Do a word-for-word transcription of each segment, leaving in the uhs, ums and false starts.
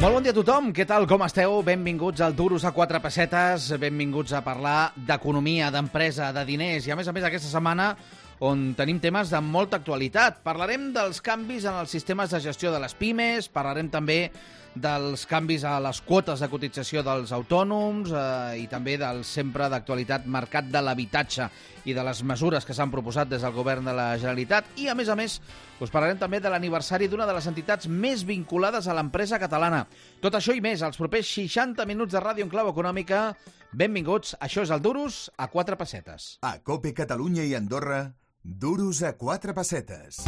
Molt bon dia a tothom, què tal, com esteu? Benvinguts al Duros a quatre pessetes, benvinguts a parlar d'economia, d'empresa, de diners i a més a més aquesta setmana on tenim temes de molta actualitat. Parlarem dels canvis en els sistemes de gestió de les pimes, parlarem també dels canvis a les quotes de cotització dels autònoms eh, i també del sempre d'actualitat mercat de l'habitatge i de les mesures que s'han proposat des del govern de la Generalitat. I, a més a més, us parlarem també de l'aniversari d'una de les entitats més vinculades a l'empresa catalana. Tot això i més, els propers seixanta minuts de ràdio en clau econòmica. Benvinguts, això és el Duros a quatre pessetes. A COPE Catalunya i Andorra, Duros a quatre pessetes.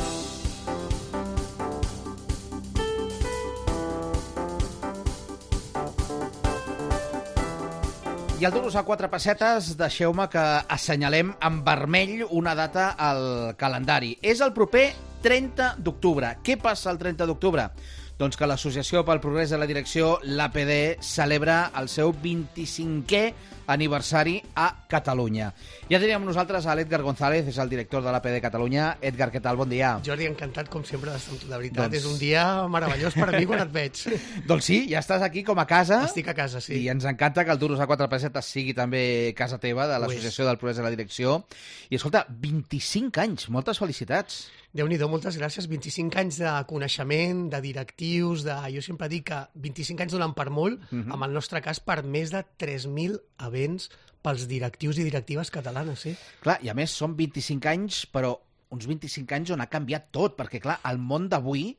I al Duros a quatre pessetes, deixeu-me que assenyalem en vermell una data al calendari. És el proper trenta d'octubre. Què passa el trenta d'octubre? Doncs que l'Associació pel Progrés de la Direcció, l'A P D, celebra el seu vint-i-cinquè aniversari a Catalunya. Ja teníem nosaltres a l'Edgar González, és el director de l'A P D Catalunya. Edgar, què tal? Bon dia. Jordi, encantat, com sempre, d'estar amb tu. De veritat, doncs... és un dia meravellós per a mi quan et veig. Doncs sí, ja estàs aquí com a casa. Estic a casa, sí. I ens encanta que el Duros a quatre pessetes sigui també casa teva, de l'Associació del Progrés de la Direcció. I escolta, vint-i-cinc anys, moltes felicitats. Déu-n'hi-do, moltes gràcies. vint-i-cinc anys de coneixement, de directius, de... Jo sempre dic que vint-i-cinc anys donen per molt, uh-huh. en el nostre cas per més de tres mil events pels directius i directives catalanes, sí. Clar, i a més són vint-i-cinc anys, però uns vint-i-cinc anys on ha canviat tot, perquè clar, el món d'avui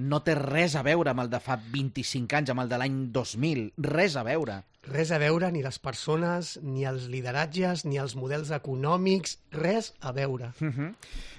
no té res a veure amb el de fa vint-i-cinc anys, amb el de l'any dos mil, res a veure. Res a veure, ni les persones, ni els lideratges, ni els models econòmics, res a veure. Uh-huh.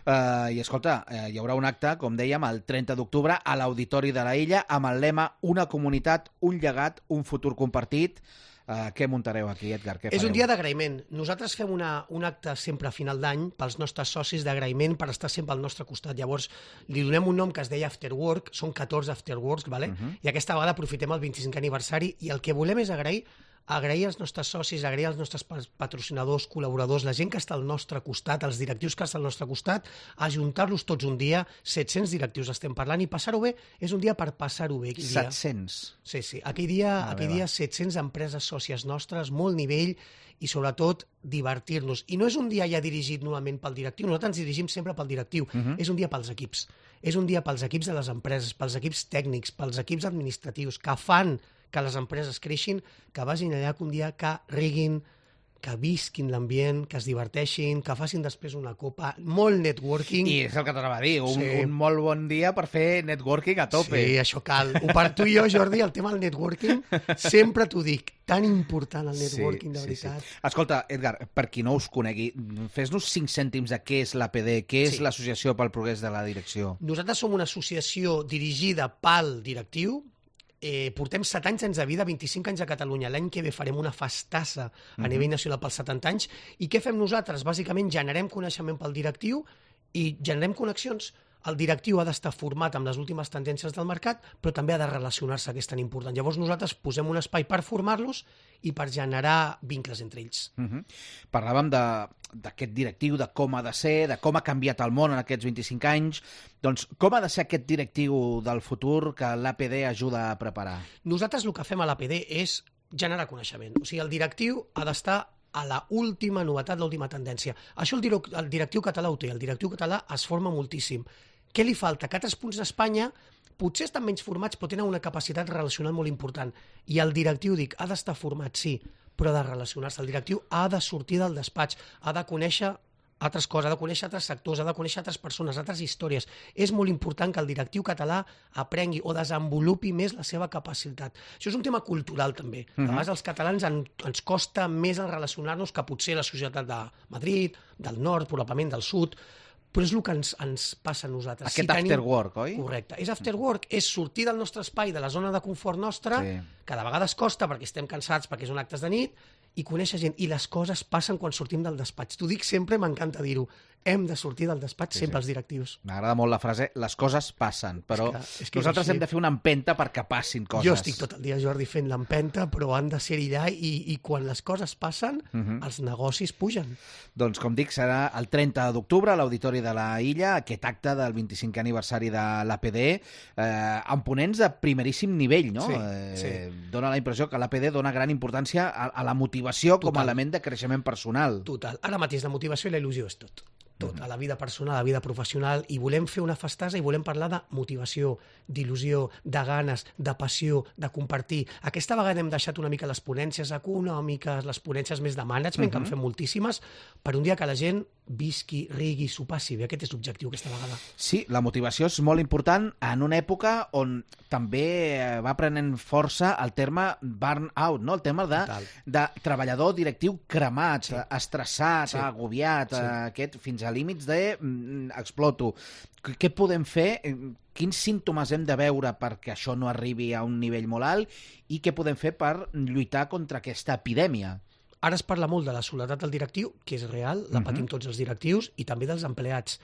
uh, I escolta, uh, hi haurà un acte, com dèiem, el trenta d'octubre a l'Auditori de la Illa, amb el lema Una comunitat, un llegat, un futur compartit. Uh, què muntareu aquí, Edgar? Què És fareu? un dia d'agraïment. Nosaltres fem una, un acte sempre a final d'any pels nostres socis d'agraïment per estar sempre al nostre costat. Llavors, li donem un nom que es deia After Work, són catorze After Works, vale? Uh-huh. I aquesta vegada aprofitem el vint-i-cinquè aniversari i el que volem és agrair agrair als nostres socis, agrair als nostres patrocinadors, col·laboradors, la gent que està al nostre costat, els directius que estan al nostre costat, ajuntar-los tots un dia, set-cents directius estem parlant, i passar-ho bé, és un dia per passar-ho bé. set-cents? Sí, sí. Aquell dia, ah, aquell dia set-cents empreses sòcies nostres, molt nivell, i sobretot divertir-nos. I no és un dia ja dirigit novament pel directiu, nosaltres ens dirigim sempre pel directiu, uh-huh. és un dia pels equips. És un dia pels equips de les empreses, pels equips tècnics, pels equips administratius, que fan que les empreses creixin, que vagin allà que un dia que riguin, que visquin l'ambient, que es diverteixin, que facin després una copa, molt networking. I és el que t'anava a dir, un, sí. un molt bon dia per fer networking a tope. Sí, això cal. Per tu i jo, Jordi, el tema del networking, sempre t'ho dic, tan important el networking, sí, de veritat. Sí, sí. Escolta, Edgar, per qui no us conegui, fes-nos cinc cèntims de què és l'A P D, què és sí. l'Associació pel Progrés de la Direcció. Nosaltres som una associació dirigida pel directiu. Eh, portem set anys de vida, vint-i-cinc anys a Catalunya. L'any que ve farem una festassa a uh-huh. nivell nacional pels setanta anys. I què fem nosaltres? Bàsicament generem coneixement pel directiu i generem connexions. El directiu ha d'estar format amb les últimes tendències del mercat, però també ha de relacionar-se, que és tan important. Llavors nosaltres posem un espai per formar-los i per generar vincles entre ells. Uh-huh. Parlàvem d'aquest directiu, de com ha de ser, de com ha canviat el món en aquests vint-i-cinc anys. Doncs com ha de ser aquest directiu del futur que l'A P D ajuda a preparar? Nosaltres el que fem a l'A P D és generar coneixement. O sigui, el directiu ha d'estar a la última novetat, l'última tendència. Això el, direc el directiu català ho té. El directiu català es forma moltíssim. Què li falta? Que altres punts d'Espanya potser estan menys formats, però tenen una capacitat relacional molt important. I el directiu, dic, ha d'estar format, sí, però ha de relacionar-se. El directiu ha de sortir del despatx, ha de conèixer altres coses, ha de conèixer altres sectors, ha de conèixer altres persones, altres històries. És molt important que el directiu català aprengui o desenvolupi més la seva capacitat. Això és un tema cultural, també. Uh-huh. A vegades als catalans en, ens costa més el relacionar-nos que potser la societat de Madrid, del nord, probablement del sud, però és el que ens, ens passa a nosaltres. Aquest si after tenim... work, oi? Correcte. És after work, és sortir del nostre espai, de la zona de confort nostra, sí. que de vegades costa perquè estem cansats, perquè són actes de nit, i conèixer gent. I les coses passen quan sortim del despatx. T'ho dic sempre, m'encanta dir-ho. hem de sortir del despatx Sí, sempre sí. els directius. M'agrada molt la frase, les coses passen, però És que- és que és nosaltres així. hem de fer una empenta perquè passin coses. Jo estic tot el dia, Jordi, fent l'empenta, però han de ser-hi allà i, i quan les coses passen, Mhm. els negocis pugen. Doncs, com dic, serà el trenta d'octubre a l'Auditori de la Illa, aquest acte del vint-i-cinquè aniversari de l'A P D, eh, amb ponents de primeríssim nivell, no? Sí, eh, sí. Dóna la impressió que l'A P D dona gran importància a, a la motivació com a Total. element de creixement personal. Total. Ara mateix la motivació i la il·lusió és tot. Tot, a la vida personal, a la vida professional, i volem fer una festassa i volem parlar de motivació, d'il·lusió, de ganes, de passió, de compartir. Aquesta vegada hem deixat una mica les ponències econòmiques, les ponències més de management, que en fem moltíssimes, per un dia que la gent visqui, rigui, s'ho passi bé. Aquest és l'objectiu aquesta vegada. Sí, la motivació és molt important en una època on també eh, va prenent força el terme burn-out, no? El tema de, Total. de treballador directiu cremat, Sí. estressat, Sí. agobiat, Sí. eh, aquest, fins a límits de mm, exploto. Qu- Què podem fer? Eh, Quins símptomes hem de veure perquè això no arribi a un nivell molt alt i què podem fer per lluitar contra aquesta epidèmia? Ara es parla molt de la soledat del directiu, que és real, la patim tots els directius, i també dels empleats.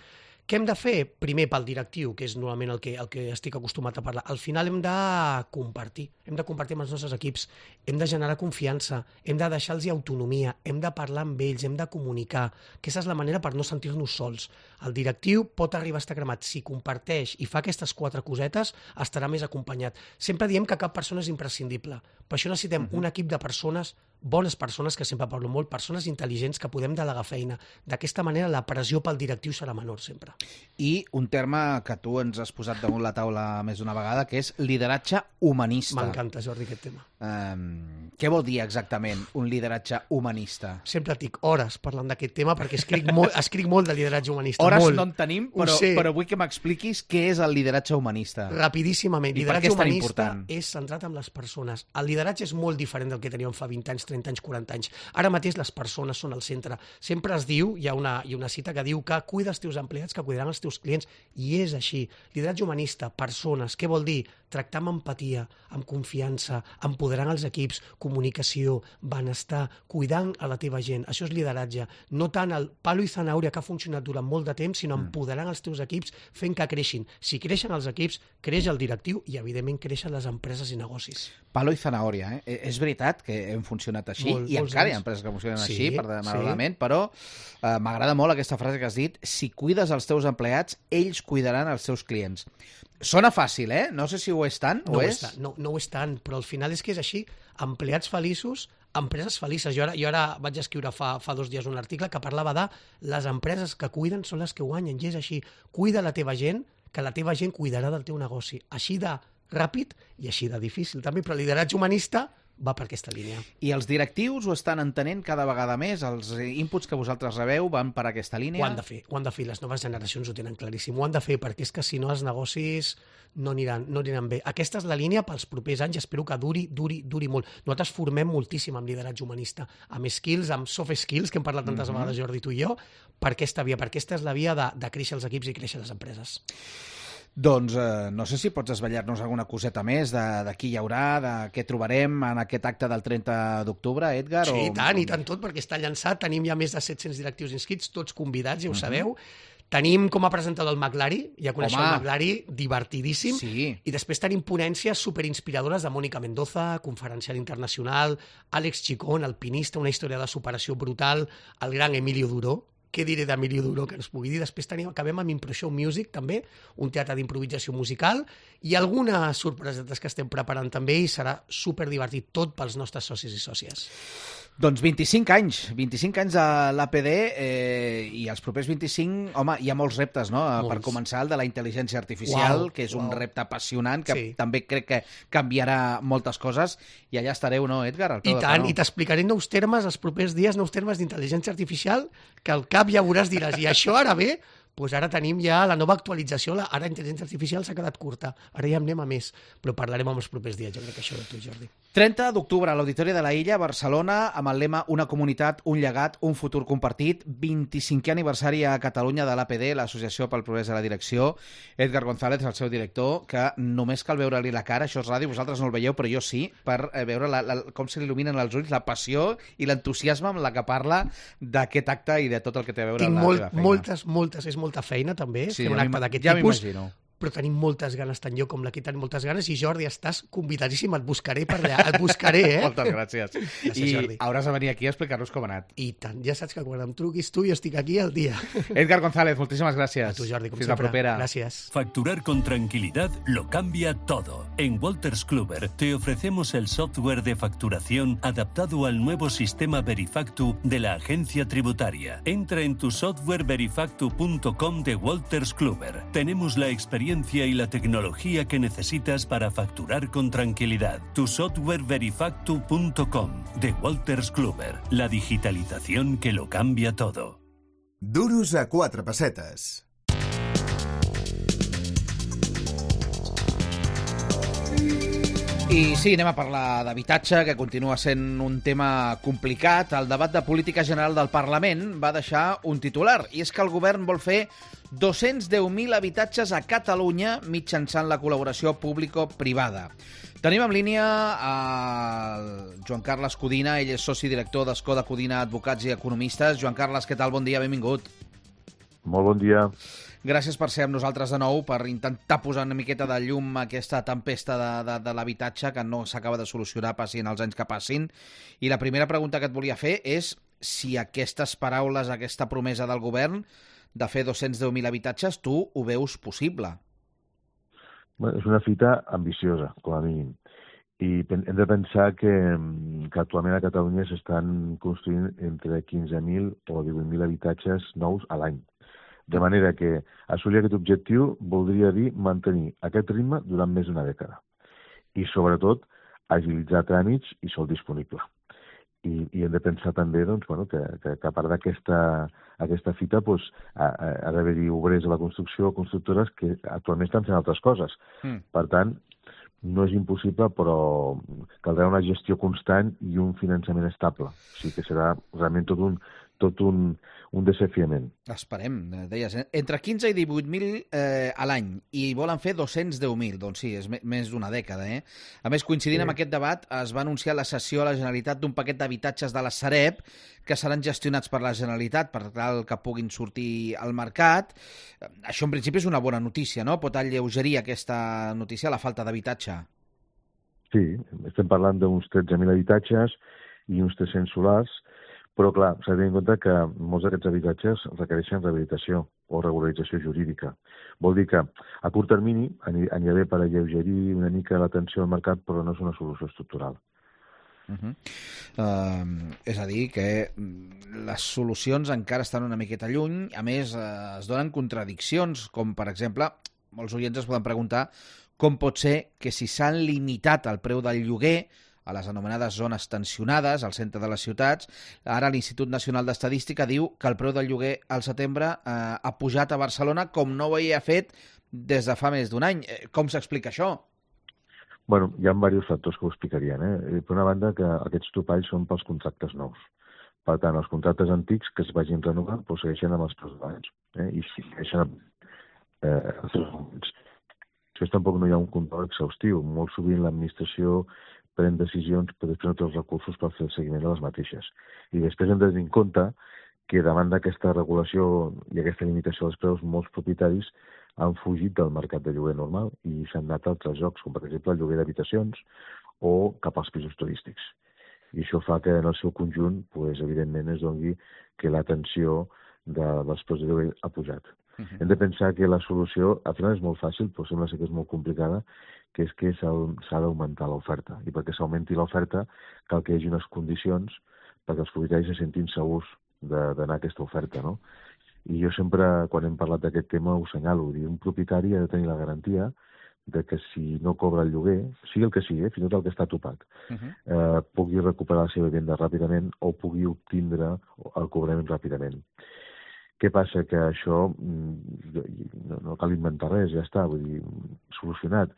Què hem de fer? Primer pel directiu, que és normalment el que, el que estic acostumat a parlar. Al final hem de compartir, hem de compartir amb els nostres equips, hem de generar confiança, hem de deixar-los autonomia, hem de parlar amb ells, hem de comunicar. Aquesta és la manera per no sentir-nos sols. El directiu pot arribar a estar cremat. Si comparteix i fa aquestes quatre cosetes, estarà més acompanyat. Sempre diem que cap persona és imprescindible. Per això necessitem uh-huh. un equip de persones, bones persones, que sempre parlo molt, persones intel·ligents que podem delegar feina. D'aquesta manera la pressió pel directiu serà menor sempre. I un terme que tu ens has posat damunt la taula més d'una vegada, que és lideratge humanista. M'encanta, Jordi, aquest tema. Um, què vol dir exactament un lideratge humanista? Sempre tinc hores parlant d'aquest tema perquè escric molt, escric molt de lideratge humanista. Hores molt. no en tenim, Ho però, sé. però vull que m'expliquis què és el lideratge humanista. Rapidíssimament. I per què Lideratge és tan humanista important? és centrat en les persones. El lideratge és molt diferent del que teníem fa vint anys, trenta anys, quaranta anys. Ara mateix les persones són al centre. Sempre es diu, hi ha una, hi ha una cita que diu que cuida els teus empleats, que cuidaran els teus clients, i és així. Lideratge humanista, persones, què vol dir? Tractar amb empatia, amb confiança, empoderant els equips, comunicació, benestar, cuidant a la teva gent. Això és lideratge. No tant el palo i zanàuria que ha funcionat durant molt de temps, sinó empoderant els teus equips, fent que creixin. Si creixen els equips, creix el directiu i, evidentment, creixen les empreses i negocis. Palo i zanahòria, eh? És veritat que hem funcionat així, Molt, i molts encara hi ha anys. empreses que funcionen Sí, així, per sí. malament, però eh, m'agrada molt aquesta frase que has dit: si cuides els teus empleats, ells cuidaran els seus clients. Sona fàcil, eh? No sé si ho és tant, No o ho és? és tant, no, no ho és tant, però al final és que és així. Empleats feliços, empreses felices. Jo ara, jo ara vaig escriure fa, fa dos dies un article que parlava de les empreses que cuiden són les que guanyen, i és així. Cuida la teva gent, que la teva gent cuidarà del teu negoci. Així de ràpid i així de difícil també, però el lideratge humanista va per aquesta línia. I els directius ho estan entenent cada vegada més? Els inputs que vosaltres rebeu van per aquesta línia? Ho han de fer, ho han de fer, les noves generacions ho tenen claríssim, ho han de fer, perquè és que si no els negocis no aniran, no aniran bé. Aquesta és la línia pels propers anys, espero que duri, duri, duri molt. Nosaltres formem moltíssim amb lideratge humanista, amb skills, amb soft skills, que hem parlat tantes Mhm. vegades, Jordi, tu i jo, per aquesta via, perquè aquesta és la via de, de créixer els equips i créixer les empreses. Doncs eh, no sé si pots desvetllar-nos alguna coseta més de, de qui hi haurà, de què trobarem en aquest acte del trenta d'octubre, Edgar? Sí, o... i tant, i tant tot, perquè està llançat. Tenim ja més de set-cents directius inscrits, tots convidats, ja ho sabeu. Tenim com a presentador el McLary, ja coneixeu Home. el McLary, divertidíssim. Sí. I després tenim ponències superinspiradores de Mònica Mendoza, conferencial internacional, Àlex Chicón, alpinista, una història de superació brutal, el gran Emilio Duró. Què diré d'Emilio Duró que ens pugui dir? Després tenim, acabem amb Impro Show Music, també, un teatre d'improvisació musical, i algunes sorpresetes que estem preparant també, i serà superdivertit tot pels nostres socis i sòcies. Doncs vint-i-cinc anys, vint-i-cinc anys a l'A P D, eh, i els propers vint-i-cinc, home, hi ha molts reptes, no? Molts. Per començar, el de la intel·ligència artificial, Uau, que és un uau. repte apassionant, que Sí. també crec que canviarà moltes coses, i allà estareu, no, Edgar? Al peu I del tant, canó. i t'explicaré nous termes els propers dies, nous termes d'intel·ligència artificial, que al cap ja veuràs, diràs, i això ara ve, Pues ara tenim ja la nova actualització, la, ara intel·ligència artificial s'ha quedat curta, ara ja anem a més, però parlarem en els propers dies, jo crec que això de tu, Jordi. trenta d'octubre, a l'Auditori de la Illa, Barcelona, amb el lema Una comunitat, un llegat, un futur compartit, vint-i-cinquè aniversari a Catalunya de l'A P D, l'Associació pel Progrés de la Direcció. Edgar González, el seu director, que només cal veure-li la cara, això és ràdio, vosaltres no el veieu, però jo sí, per veure la, la, com se li il·luminen els ulls, la passió i l'entusiasme amb la que parla d'aquest acte i de tot el que té a veure Tinc amb la molt, teva feina. moltes, moltes, és molta feina també, Sí, fer un ja acte m'im- d'aquest ja tipus, m'imagino. però tenim moltes ganes, tant jo com l'equip tenim moltes ganes, i Jordi, estàs convidadíssim, et buscaré per allà, et buscaré, eh? Moltes gràcies. Gràcies, I Jordi. hauràs de venir aquí a explicar-nos com ha anat. I tant, ja saps que quan em truquis tu jo estic aquí al dia. Edgar González, moltíssimas gracias. A tu, Jordi, com Fins sempre. la propera. Gràcies. Facturar con tranquilidad lo cambia todo. En Wolters Kluwer te ofrecemos el software de facturación adaptado al nuevo sistema Verifactu de la agencia tributaria. Entra en tu software verifactu punto com de Wolters Kluwer. Tenemos la experiencia y la tecnología que necesitas para facturar con tranquilidad. Tu software verifactu punto com de Wolters Kluwer. La digitalización que lo cambia todo. Duros a quatre pessetes. I sí, anem a parlar d'habitatge, que continua sent un tema complicat. El debat de política general del Parlament va deixar un titular, i és que el govern vol fer dos-cents deu mil habitatges a Catalunya mitjançant la col·laboració público-privada. Tenim en línia el Joan Carles Codina, ell és soci director d'Escoda Codina Advocats i Economistes. Joan Carles, què tal? Bon dia, benvingut. Molt bon dia. Gràcies per ser amb nosaltres de nou, per intentar posar una miqueta de llum a aquesta tempesta de, de, de l'habitatge que no s'acaba de solucionar, passin els anys que passin. I la primera pregunta que et volia fer és si aquestes paraules, aquesta promesa del govern de fer dos-cents deu mil habitatges, tu ho veus possible? Bé, és una fita ambiciosa, com a mínim. I hem de pensar que, que actualment a Catalunya s'estan construint entre quinze mil o divuit mil habitatges nous a l'any. De manera que assolir aquest objectiu voldria dir mantenir aquest ritme durant més d'una dècada. I, sobretot, agilitzar tràmits i sol disponible. I, i hem de pensar també doncs, bueno, que, que, que a part d'aquesta aquesta fita doncs, ha, ha d'haver-hi obrers a la construcció o constructores que actualment estan fent altres coses. Mm. Per tant, no és impossible, però caldrà una gestió constant i un finançament estable. O sigui que serà realment tot un, tot un, un desafiament. Esperem, deies, eh? Entre quinze i divuit mil eh, a l'any, i volen fer dos-cents deu mil, doncs sí, és més d'una dècada, eh? A més, coincidint sí. amb aquest debat, es va anunciar la cessió a la Generalitat d'un paquet d'habitatges de la Sareb que seran gestionats per la Generalitat per tal que puguin sortir al mercat. Això, en principi, és una bona notícia, no? Pot alleugerir aquesta notícia la falta d'habitatge. Sí, estem parlant d'uns tretze mil habitatges i uns tres-cents solars, però, clar, s'ha de tenir en compte que molts d'aquests habitatges requereixen rehabilitació o regularització jurídica. Vol dir que, a curt termini, anirà bé per alleugerir una mica la tensió al mercat, però no és una solució estructural. Uh -huh. uh, és a dir, que les solucions encara estan una miqueta lluny. A més, uh, es donen contradiccions, com, per exemple, molts oients es poden preguntar com pot ser que si s'han limitat el preu del lloguer a les anomenades zones tensionades al centre de les ciutats, ara l'Institut Nacional d'Estadística diu que el preu del lloguer al setembre eh, ha pujat a Barcelona com no ho havia fet des de fa més d'un any. Com s'explica això? Bueno, hi ha diversos factors que ho explicarien. Eh? Per una banda, que aquests topalls són pels contractes nous. Per tant, els contractes antics que es vagin renovant doncs segueixen amb els preus d'abans. Eh? I si segueixen eh, els seus moments. Això tampoc no hi ha un control exhaustiu. Molt sovint l'administració pren decisions, però després no té els recursos per fer el seguiment de les mateixes. I després hem de tenir en compte que davant d'aquesta regulació i aquesta limitació dels preus, molts propietaris han fugit del mercat de lloguer normal i s'han anat a altres jocs, com per exemple el lloguer d'habitacions o cap als pisos turístics. I això fa que en el seu conjunt, pues, evidentment, es doni que la tensió de dels preus de lloguer ha pujat. Uh -huh. Hem de pensar que la solució, al final és molt fàcil, però sembla ser que és molt complicada, que és que s'ha d'augmentar l'oferta. I perquè s'augmenti l'oferta cal que hi hagi unes condicions perquè els propietaris se sentin segurs d'anar a aquesta oferta, no? I jo sempre, quan hem parlat d'aquest tema, ho assenyalo. Un propietari ha de tenir la garantia de que si no cobra el lloguer, sigui el que sigui, eh, fins i tot el que està topat, uh -huh. eh, pugui recuperar la seva vivenda ràpidament o pugui obtindre el cobrament ràpidament. Què passa? Que això no, no cal inventar res, ja està, vull dir, solucionat.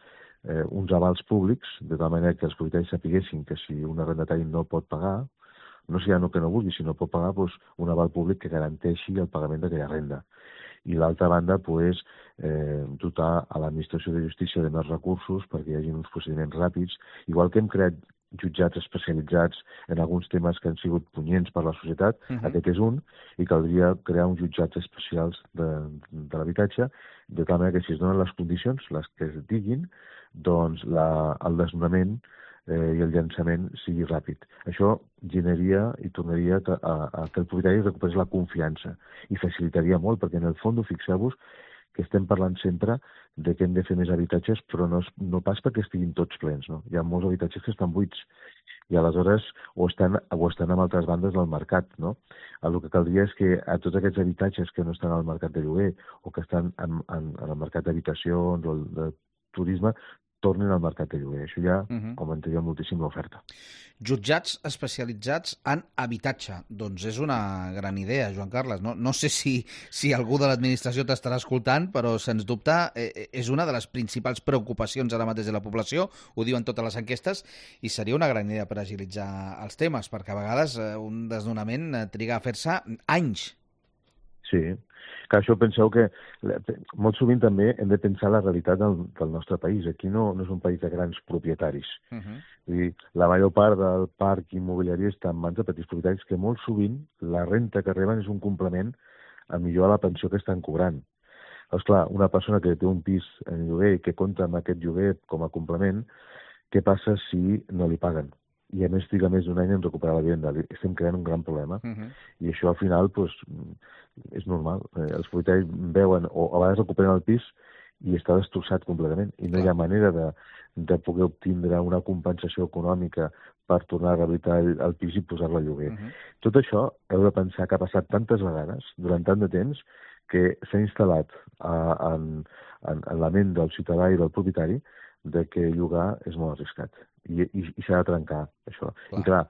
Eh, uns avals públics, de tal manera que els propietaris sapiguessin que si un arrendatari no pot pagar, no sé ja no que no vulgui, si no pot pagar, doncs un aval públic que garanteixi el pagament d'aquella renda. I l'altra banda, pues, eh, dotar a l'administració de justícia de més recursos perquè hi hagi uns procediments ràpids, igual que hem creat jutjats especialitzats en alguns temes que han sigut punyents per la societat, uh-huh. Aquest és un, i caldria crear uns jutjats especials de, de l'habitatge, de tal manera que si es donen les condicions, les que es diguin, doncs la, el desnonament eh, i el llançament sigui ràpid. Això generaria i tornaria a, a, a que el propietari recuperés la confiança i facilitaria molt, perquè en el fons, fixeu-vos, que estem parlant sempre de que hem de fer més habitatges, però no, no pas perquè estiguin tots plens, no? Hi ha molts habitatges que estan buits i aleshores o estan, o estan en altres bandes del mercat, no? El que caldria és que a tots aquests habitatges que no estan al mercat de lloguer o que estan en, en, en el mercat d'habitacions o el de turisme, tornin al mercat de lloguer. Això ja uh-huh. augmentaria moltíssim l'oferta. Jutjats especialitzats en habitatge. Doncs és una gran idea, Joan Carles. No, no sé si, si algú de l'administració t'estarà escoltant, però sens dubte eh, és una de les principals preocupacions ara mateix de la població, ho diuen totes les enquestes, i seria una gran idea per agilitzar els temes, perquè a vegades eh, un desnonament triga a fer-se anys. Sí, que això penseu que molt sovint també hem de pensar la realitat del, del nostre país. Aquí no, no és un país de grans propietaris. Uh-huh. Vull dir, la major part del parc immobiliari està en mans de petits propietaris que molt sovint la renta que reben és un complement a millor a la pensió que estan cobrant. Esclar, una persona que té un pis en lloguer i que compta amb aquest lloguer com a complement, què passa si no li paguen? I a més triga més d'un any en recuperar la vivenda. Estem creant un gran problema. Uh-huh. I això al final pues, és normal. Eh, els propietaris veuen o a vegades recuperen el pis i està destrossat completament. I no hi ha manera de, de poder obtindre una compensació econòmica per tornar a rehabilitar el, el pis i posar-lo a lloguer. Uh-huh. Tot això heu de pensar que ha passat tantes vegades, durant tant de temps, que s'ha instal·lat uh, en, en, en la ment del ciutadà i del propietari de que llogar és molt arriscat. I, i, i s'ha de trencar, això. Clar. I clar,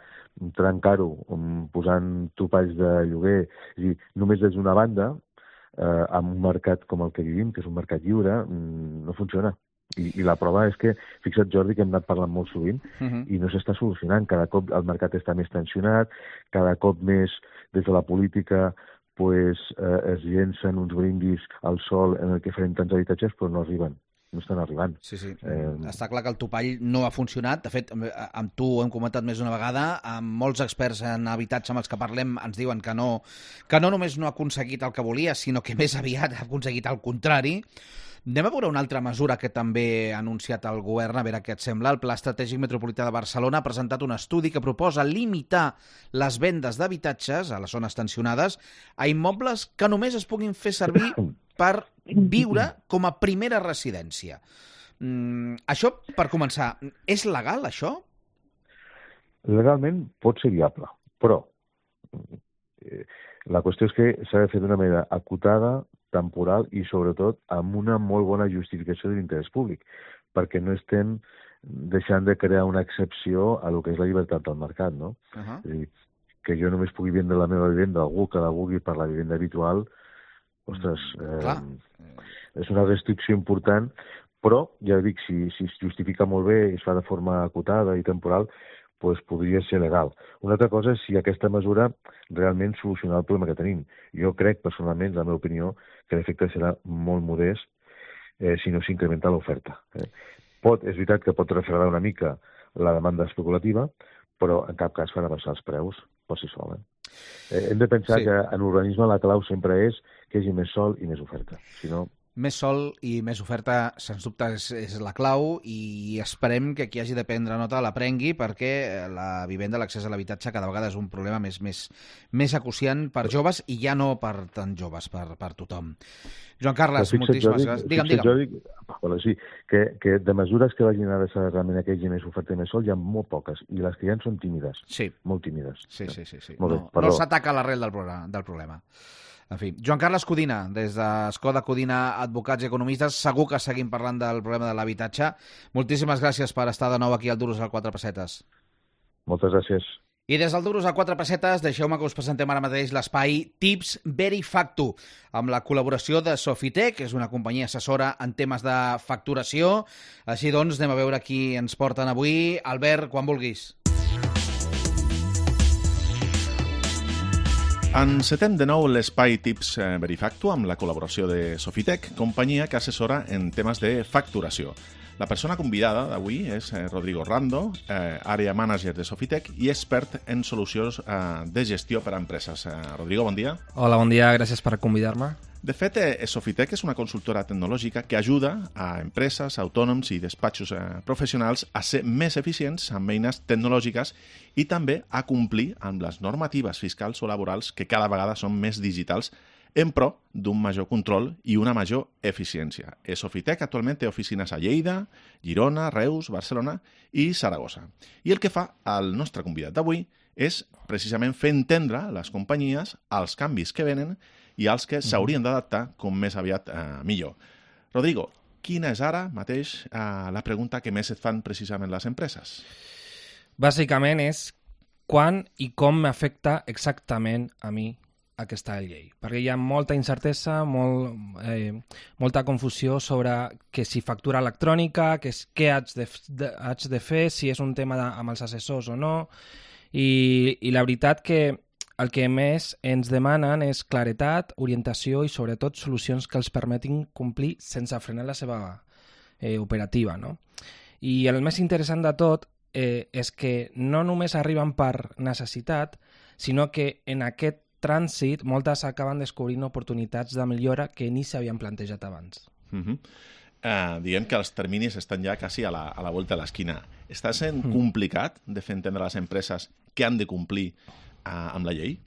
trencar-ho um, posant topalls de lloguer, és a dir, només des d'una banda, eh, amb un mercat com el que vivim, que és un mercat lliure, mm, no funciona. I, I la prova és que, fixa't, Jordi, que hem anat parlant molt sovint, uh-huh. i no s'està solucionant. Cada cop el mercat està més tensionat, cada cop més des de la política pues, eh, es llencen uns brindis al sol en el que farem tants habitatges, però no arriben. No estan arribant. Sí, sí. Eh... Està clar que el topall no ha funcionat. De fet, amb tu ho hem comentat més d'una vegada, amb molts experts en habitatge amb els que parlem ens diuen que no, que no només no ha aconseguit el que volia, sinó que més aviat ha aconseguit el contrari. Anem a veure una altra mesura que també ha anunciat el govern, a veure què et sembla. El Pla Estratègic Metropolità de Barcelona ha presentat un estudi que proposa limitar les vendes d'habitatges a les zones tensionades a immobles que només es puguin fer servir per viure com a primera residència. Mm, això, per començar, és legal, això? Legalment pot ser viable, però eh, la qüestió és que s'ha de fer d'una manera acotada, temporal i, sobretot, amb una molt bona justificació de l'interès públic, perquè no estem deixant de crear una excepció a lo que és la llibertat del mercat, no? Uh-huh. És a dir, que jo només pugui vendre la meva vivenda a algú que la vulgui per la vivenda habitual, ostres, eh, és una restricció important, però, ja dic, si, si es justifica molt bé i es fa de forma acotada i temporal, pues podria ser legal. Una altra cosa és si aquesta mesura realment soluciona el problema que tenim. Jo crec, personalment, la meva opinió, que l'efecte serà molt modest eh, si no s'incrementa l'oferta. Eh. Pot, és veritat que pot refredar una mica la demanda especulativa, però en cap cas farà baixar els preus per si sol. Eh. Eh, hem de pensar sí. que en urbanisme la clau sempre és que hi hagi més sol i més oferta. Si no... Més sol i més oferta, sens dubte, és, és la clau i esperem que qui hagi de prendre nota l'aprengui perquè la vivenda, l'accés a l'habitatge cada vegada és un problema més, més, més acuciant per joves i ja no per tan joves, per, per tothom. Joan Carles, moltíssimes gràcies. Digue'm, digue'm. Dic, bueno, sí, que, que de mesures que vagin a adreçar realment aquells i més oferta i més sol hi ha molt poques i les que hi ha són tímides, sí. molt tímides. Sí, sí, sí. sí. Molt no, bé, no s'ataca l'arrel del, del problema. En fi, Joan Carles Codina, des d'Escoda Codina, advocats i economistes, segur que seguim parlant del problema de l'habitatge. Moltíssimes gràcies per estar de nou aquí al Duros al quatre Pessetes. Moltes gràcies. I des del Duros a quatre pessetes, deixeu-me que us presentem ara mateix l'espai Tips Verifactu, amb la col·laboració de Sofitec, que és una companyia assessora en temes de facturació. Així doncs, anem a veure qui ens porten avui. Albert, quan vulguis. Encetem de nou l'espai Tips Verifactu amb la col·laboració de Sofitec, companyia que assessora en temes de facturació. La persona convidada d'avui és Rodrigo Rando, eh, àrea manager de Sofitec i expert en solucions eh, de gestió per a empreses. Eh, Rodrigo, bon dia. Hola, bon dia, gràcies per convidar-me. De fet, eh, Sofitec és una consultora tecnològica que ajuda a empreses, autònoms i despatxos eh, professionals a ser més eficients amb eines tecnològiques i també a complir amb les normatives fiscals o laborals que cada vegada són més digitals en pro d'un major control i una major eficiència. Sofitec actualment té oficines a Lleida, Girona, Reus, Barcelona i Saragossa. I el que fa el nostre convidat d'avui és precisament fer entendre a les companyies els canvis que venen i els que s'haurien d'adaptar com més aviat eh, millor. Rodrigo, quina és ara mateix eh, la pregunta que més et fan precisament les empreses? Bàsicament és quan i com m'afecta exactament a mi aquesta llei, perquè hi ha molta incertesa, molt, eh, molta confusió sobre que si factura electrònica, que és, què haig de, de, haig de fer, si és un tema de, amb els assessors o no, i, i la veritat que el que més ens demanen és claretat, orientació i sobretot solucions que els permetin complir sense frenar la seva eh, operativa, no? I el més interessant de tot eh, és que no només arriben per necessitat, sinó que en aquest trànsit, moltes acaben descobrint oportunitats de millora que ni s'havien plantejat abans. Uh -huh. uh, diguem que els terminis estan ja quasi a la, a la volta de l'esquina. Està sent uh -huh. complicat de fer entendre a les empreses que han de complir uh, amb la llei?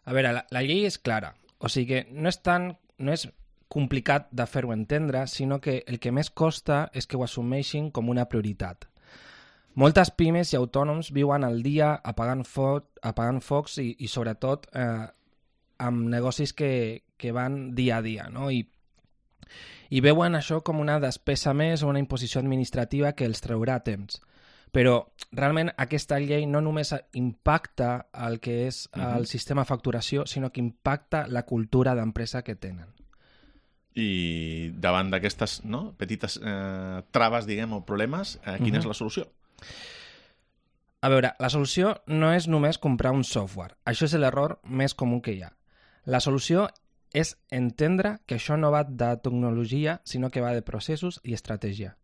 A veure, la, la llei és clara. O sigui que no és tan... No és complicat de fer-ho entendre, sinó que el que més costa és que ho assumeixin com una prioritat. Moltes pimes i autònoms viuen al dia apagant, fo apagant focs i, i sobretot, eh, amb negocis que, que van dia a dia, no? I, I veuen això com una despesa més o una imposició administrativa que els traurà temps. Però realment aquesta llei no només impacta el que és uh-huh. el sistema de facturació, sinó que impacta la cultura d'empresa que tenen. I davant d'aquestes no, petites eh, traves, diguem, o problemes, eh, quina uh-huh. és la solució? A veure, la solució no és només comprar un software. Això és l'error més comú que hi ha. La solució és entendre que això no va de tecnologia, sinó que va de processos i estratègia.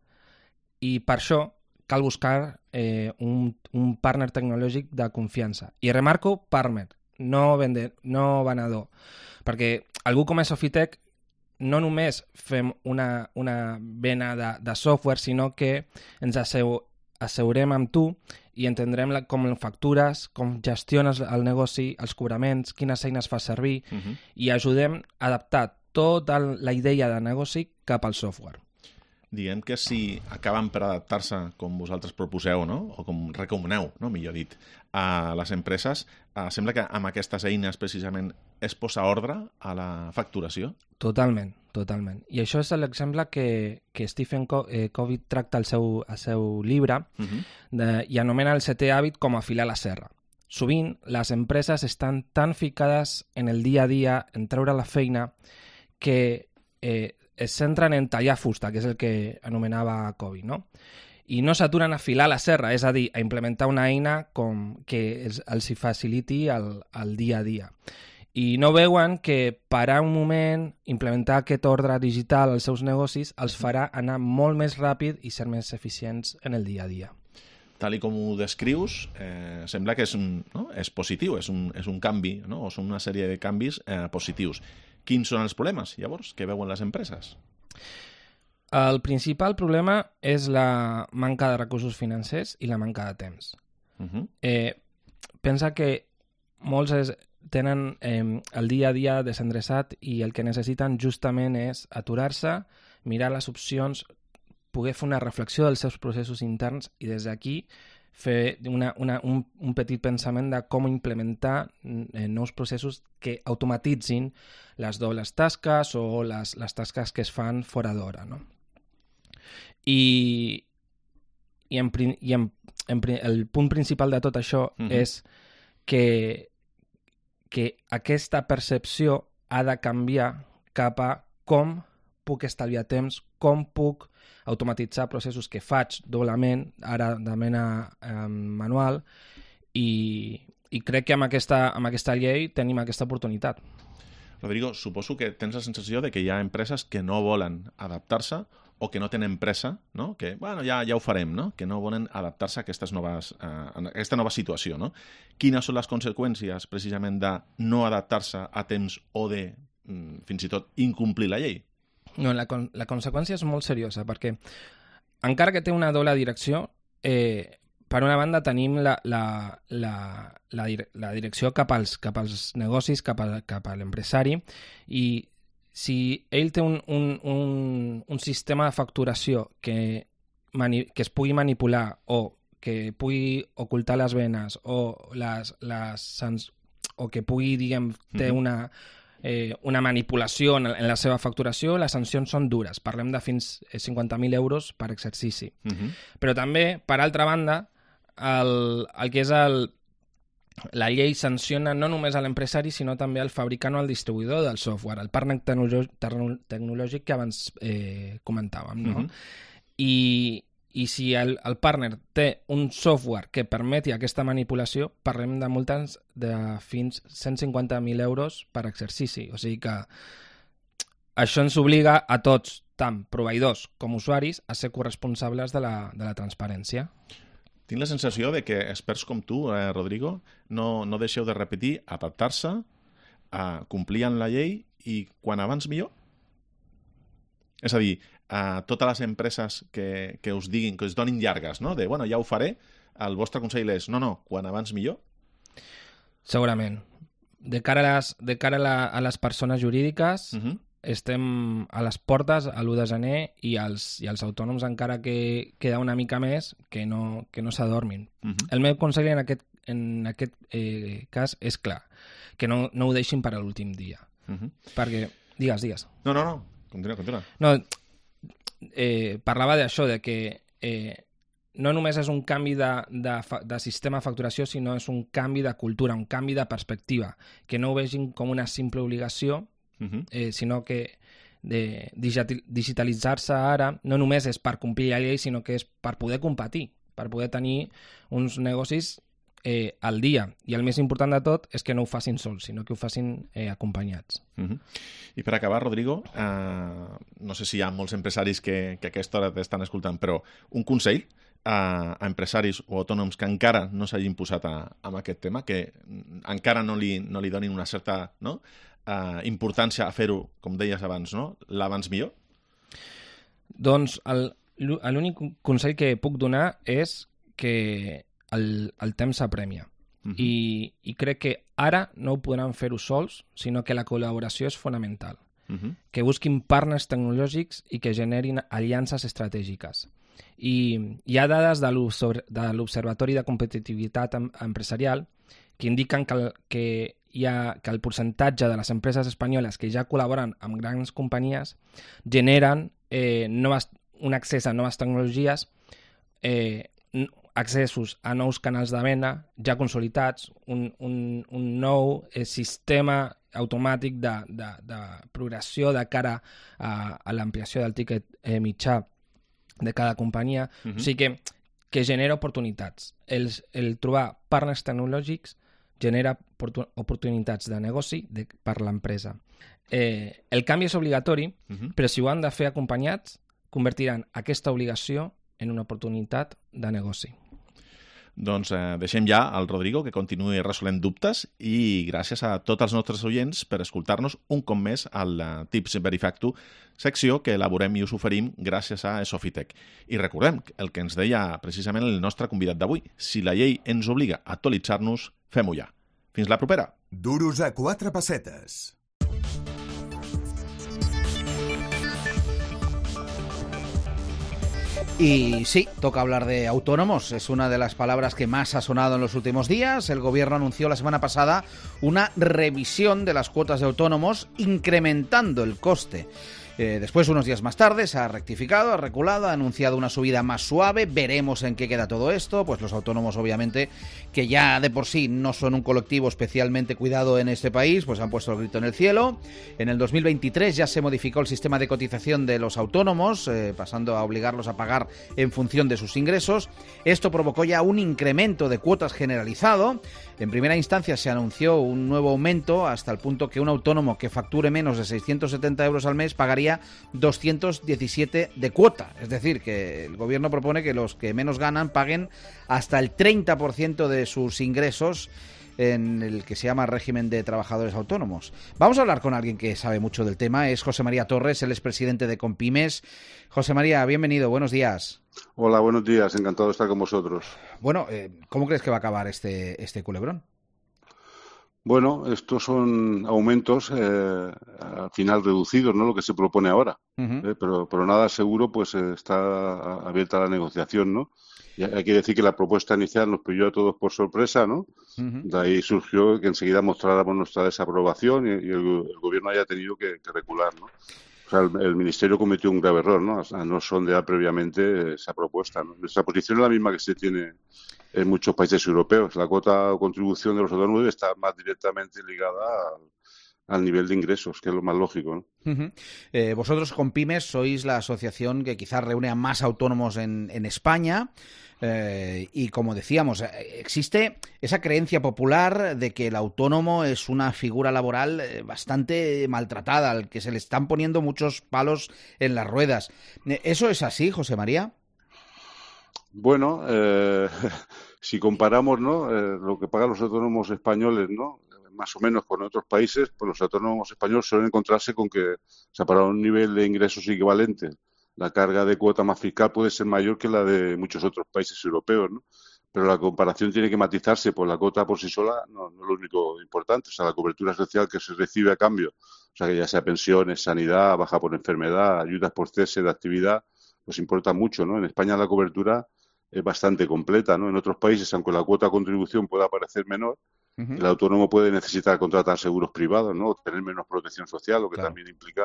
I per això cal buscar eh, un, un partner tecnològic de confiança. I remarco partner, no, vende, no venedor. Perquè algú com a Sofitec no només fem una, una vena de, de software, sinó que ens asseu, asseurem amb tu i entendrem la, com factures, com gestiones el negoci, els cobraments, quines eines fas servir, uh-huh. i ajudem a adaptar tota la idea de negoci cap al software. Diguem que si acaben per adaptar-se com vosaltres proposeu, no? O com recomaneu, no? Millor dit, a les empreses, eh, sembla que amb aquestes eines precisament es posa ordre a la facturació? Totalment, totalment. I això és l'exemple que, que Stephen Covey tracta al seu, al seu llibre uh-huh. de, i anomena el setè hàbit com afilar la serra. Sovint, les empreses estan tan ficades en el dia a dia, en treure la feina, que eh, es centren en tallar fusta, que és el que anomenava Covey, no? I no s'aturen a afilar la serra, és a dir, a implementar una eina com que els, els hi faciliti el, el dia a dia. I no veuen que parar un moment, implementar aquest ordre digital als seus negocis, els farà anar molt més ràpid i ser més eficients en el dia a dia. Tal i com ho descrius, eh, sembla que és, un, no? és positiu, és un, és un canvi, no? O són una sèrie de canvis eh, positius. Quins són els problemes, llavors, que veuen les empreses? El principal problema és la manca de recursos financers i la manca de temps. Uh-huh. eh, pensa que molts es, tenen eh, el dia a dia desendreçat i el que necessiten justament és aturar-se, mirar les opcions, poder fer una reflexió dels seus processos interns i des d'aquí fer una, una, un, un petit pensament de com implementar eh, nous processos que automatitzin les dobles tasques o les, les tasques que es fan fora d'hora, no? I, i, en, i en, en, el punt principal de tot això uh-huh. és que, que aquesta percepció ha de canviar cap a com puc estalviar temps, com puc automatitzar processos que faig doblement, ara de mena eh, manual, i, i crec que amb aquesta, amb aquesta llei tenim aquesta oportunitat. Rodrigo, suposo que tens la sensació de que hi ha empreses que no volen adaptar-se o que no tenen pressa, no? Que, bueno, ja, ja ho farem, no? Que no volen adaptar-se a, aquestes noves, a aquesta nova situació, no? Quines són les conseqüències, precisament, de no adaptar-se a temps o de, fins i tot, incomplir la llei? No, la, la conseqüència és molt seriosa, perquè encara que té una doble direcció, eh, per una banda tenim la, la, la, la, la direcció cap als, cap als negocis, cap a, cap a l'empresari, i si ell té un, un, un, un sistema de facturació que, mani, que es pugui manipular o que pugui ocultar les venes o, les, les, o que pugui, diguem, té una... Eh, una manipulació en, en la seva facturació, les sancions són dures. Parlem de fins a cinquanta mil euros per exercici. Uh-huh. Però també, per altra banda, el, el que és el, la llei sanciona no només a l'empresari, sinó també al fabricant o al distribuïdor del software, el partner tecnològic que abans eh, comentàvem. No? Uh-huh. I, I si el, el partner té un software que permeti aquesta manipulació, parlem de multes de fins cent cinquanta mil euros per exercici. O sigui que això ens obliga a tots, tant proveïdors com usuaris, a ser corresponsables de la, de la transparència. Tinc la sensació de que experts com tu, eh, Rodrigo, no, no deixeu de repetir, adaptar-se, a complir amb la llei i quan abans millor. És a dir, a totes les empreses que, que us diguin, que us donin llargues, no? De, bueno, ja ho faré, el vostre consell és, no, no, quan abans millor? Segurament. De cara a les, de cara a, la, a les persones jurídiques, uh-huh. estem a les portes a l'u de gener i els, i els autònoms encara que queda una mica més que no, que no s'adormin. Uh-huh. El meu consell en aquest, en aquest eh, cas és clar, que no, no ho deixin per a l'últim dia. Uh-huh. Perquè, digues, digues. No, no, no, continua, continua. No, eh, parlava d'això, de que eh, no només és un canvi de, de, de sistema de facturació, sinó és un canvi de cultura, un canvi de perspectiva, que no ho vegin com una simple obligació, uh-huh. eh, sinó que de digitalitzar-se ara no només és per complir la llei, sinó que és per poder competir, per poder tenir uns negocis eh, al dia. I el més important de tot és que no ho facin sols, sinó que ho facin eh, acompanyats. Uh-huh. I per acabar, Rodrigo, eh, no sé si hi ha molts empresaris que, que a aquesta hora t'estan escoltant, però un consell a, a empresaris o autònoms que encara no s'hagin posat a, a aquest tema, que encara no li, no li donin una certa no, eh, importància a fer-ho, com deies abans, no? L'abans millor? Doncs l'únic consell que puc donar és que el, el temps s'apremia. Uh-huh. I, I crec que ara no ho podran fer-ho sols, sinó que la col·laboració és fonamental. Uh-huh. Que busquin partners tecnològics i que generin aliances estratègiques. I hi ha dades de l'Observatori de Competitivitat Empresarial que indiquen que el, que hi ha, que el percentatge de les empreses espanyoles que ja col·laboren amb grans companyies generen eh, noves, un accés a noves tecnologies, eh, accessos a nous canals de venda ja consolidats, un, un, un nou eh, sistema automàtic de, de, de progressió de cara a, a l'ampliació del tiquet eh, mitjà de cada companyia. Uh-huh. O sigui que, que genera oportunitats. El, el trobar partners tecnològics genera oportunitats de negoci de, per l'empresa. Eh, el canvi és obligatori, uh-huh. però si ho han de fer acompanyats, convertiran aquesta obligació en una oportunitat de negoci. Doncs eh, deixem ja al Rodrigo que continuï resolent dubtes i gràcies a tots els nostres oients per escoltar-nos un cop més al Tips Verifactu, secció que elaborem i us oferim gràcies a Sofitec. I recordem el que ens deia precisament el nostre convidat d'avui. Si la llei ens obliga a actualitzar-nos, fem-ho ja. Fins la propera. Duros a quatre pessetes. Y sí, toca hablar de autónomos. Es una de las palabras que más ha sonado en los últimos días. El gobierno anunció la semana pasada una revisión de las cuotas de autónomos, incrementando el coste. Eh, después, unos días más tarde, se ha rectificado, ha reculado, ha anunciado una subida más suave. Veremos en qué queda todo esto. Pues los autónomos, obviamente, que ya de por sí no son un colectivo especialmente cuidado en este país, pues han puesto el grito en el cielo. En el dos mil veintitrés ya se modificó el sistema de cotización de los autónomos, eh, pasando a obligarlos a pagar en función de sus ingresos. Esto provocó ya un incremento de cuotas generalizado. En primera instancia se anunció un nuevo aumento hasta el punto que un autónomo que facture menos de seiscientos setenta euros al mes pagaría doscientos diecisiete de cuota. Es decir, que el gobierno propone que los que menos ganan paguen hasta el treinta por ciento de sus ingresos en el que se llama régimen de trabajadores autónomos. Vamos a hablar con alguien que sabe mucho del tema. Es José María Torres, él es presidente de Compymes. José María, bienvenido, buenos días. Hola, buenos días, encantado de estar con vosotros. Bueno, eh, ¿cómo crees que va a acabar este, este culebrón? Bueno, estos son aumentos eh, al final reducidos, ¿no? Lo que se propone ahora. Uh-huh. eh, pero, pero nada seguro, pues eh, está abierta la negociación, ¿no? Y hay que decir que la propuesta inicial nos pilló a todos por sorpresa, ¿no? Uh-huh. De ahí surgió que enseguida mostráramos nuestra desaprobación y, y el, el gobierno haya tenido que, que recular, ¿no? O sea, el, el Ministerio cometió un grave error, ¿no? A no sondear previamente esa propuesta, ¿no? Nuestra posición es la misma que se tiene en muchos países europeos. La cuota o contribución de los autónomos está más directamente ligada al, al nivel de ingresos, que es lo más lógico, ¿no? Uh-huh. Eh, vosotros, Compymes, sois la asociación que quizás reúne a más autónomos en, en España. Eh, y como decíamos, existe esa creencia popular de que el autónomo es una figura laboral bastante maltratada, al que se le están poniendo muchos palos en las ruedas. ¿Eso es así, José María? Bueno, eh, si comparamos, ¿no? eh, lo que pagan los autónomos españoles, ¿no? Más o menos con otros países, pues los autónomos españoles suelen encontrarse con que, o sea, para un nivel de ingresos equivalente, la carga de cuota más fiscal puede ser mayor que la de muchos otros países europeos, ¿no? Pero la comparación tiene que matizarse, pues la cuota por sí sola no, no es lo único importante. O sea, la cobertura social que se recibe a cambio, o sea, que ya sea pensiones, sanidad, baja por enfermedad, ayudas por cese de actividad, pues importa mucho, ¿no? En España la cobertura es bastante completa, ¿no? En otros países, aunque la cuota de contribución pueda parecer menor, uh-huh. el autónomo puede necesitar contratar seguros privados, ¿no? O tener menos protección social, lo que claro. también implica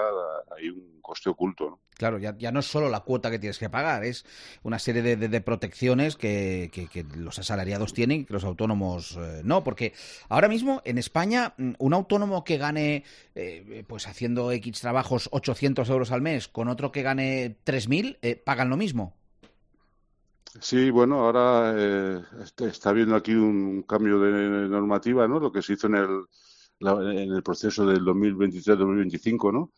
ahí un coste oculto, ¿no? Claro, ya, ya no es solo la cuota que tienes que pagar, es una serie de, de, de protecciones que, que, que los asalariados tienen y que los autónomos eh, no, porque ahora mismo en España un autónomo que gane, eh, pues haciendo X trabajos, ochocientos euros al mes, con otro que gane tres mil, eh, pagan lo mismo. Sí, bueno, ahora eh, está habiendo aquí un cambio de normativa, ¿no? Lo que se hizo en el, la, en el proceso del dos mil veintitrés dos mil veinticinco, ¿no?